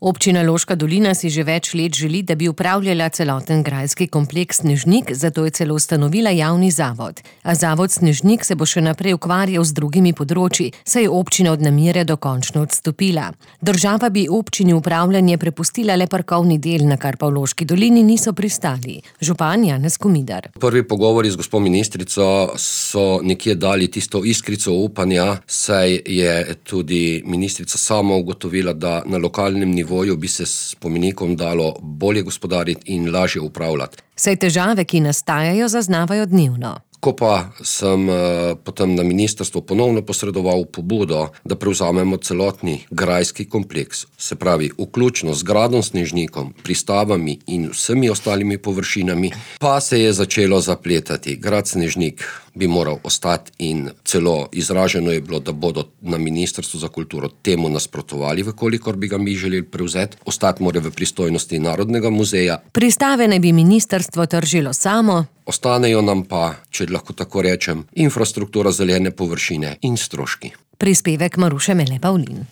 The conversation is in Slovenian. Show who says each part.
Speaker 1: Občina Loška dolina si že več let želi, da bi upravljala celoten grajski kompleks Snežnik, zato je celo ustanovila javni zavod. A zavod Snežnik se bo še naprej ukvarjal z drugimi področji, saj je občina od namere dokončno odstopila. Država bi občini upravljanje prepustila le parkovni del, na kar pa v Loški dolini niso pristali. Župan Janez Komidar.
Speaker 2: Prvi pogovori z gospo ministrico so nekje dali tisto iskrico upanja, saj je tudi ministrica sama ugotovila, da na lokalnem nivoju bi se s spomenikom dalo bolje gospodariti in lažje upravljati.
Speaker 1: Saj težave, ki nastajajo, zaznavajo dnevno.
Speaker 2: Ko pa sem potem na ministrstvo ponovno posredoval pobudo, da prevzamemo celotni grajski kompleks, se pravi vključno z gradom Snežnikom, pristavami in vsemi ostalimi površinami, pa se je začelo zapletati. Grad Snežnik bi moral ostati in celo izraženo je bilo, da bodo na Ministrstvu za kulturo temu nasprotovali, vkolikor bi ga mi želeli prevzeti. Ostati mora v pristojnosti Narodnega muzeja.
Speaker 1: Pristave naj bi ministrstvo tržilo samo.
Speaker 2: Ostanejo nam pa, če lahko tako rečem, infrastruktura, zelene površine in stroški.
Speaker 1: Prispevek Maruše Mele Pavlin.